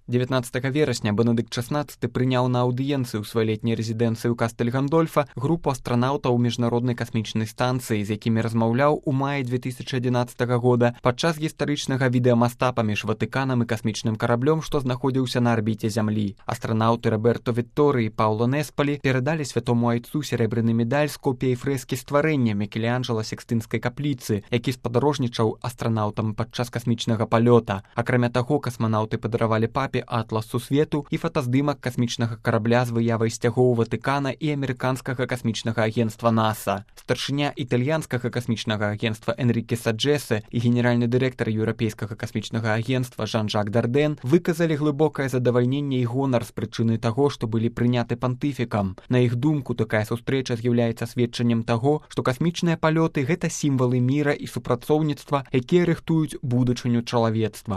19 верасня Бенедыкт XVI прыняў на аўдыенцыю ў сваёй летняй рэзідэнцыі ў Кастэль-Гандольфа групу астранаўтаў міжнароднай касмічнай станцыі, з якімі размаўляў у маі 2011 года падчас гістарычнага відэамаста паміж Ватыканам і касмічным караблём, што знаходзіўся на арбіце Зямлі. Астранаўты Роберто Вітторы і Пауло Неспалі перадалі святому айцу серебряны медаль з копіяй фрэскі стварэння Мікеланджела Сікстынскай капліцы, які спадарожнічаў астранаўтам падчас касмічнага палёта. Акрамя таго, касманаўты падаравалі папе атлас сусвету і фотаздымак касмічнага карабля з выявай сцягоў Ватыкана і амерыканскага касмічнага агенцтва НАСА. Старшыня італьянскага касмічнага агенцтва Энріке Саджэсе і генеральны дырэктар еўрапейскага касмічнага агенцтва Жан-Жак Дарден выказалі глыбокае задавальненне і гонар з прычыны таго, што былі прыняты пантыфікам. На іх думку, такая сустрэча з'яўляецца сведчаннем таго, што касмічныя палёты — гэта сімвалы міра і супрацоўніцтва, якія рыхтуюць будучыню чалавецтва.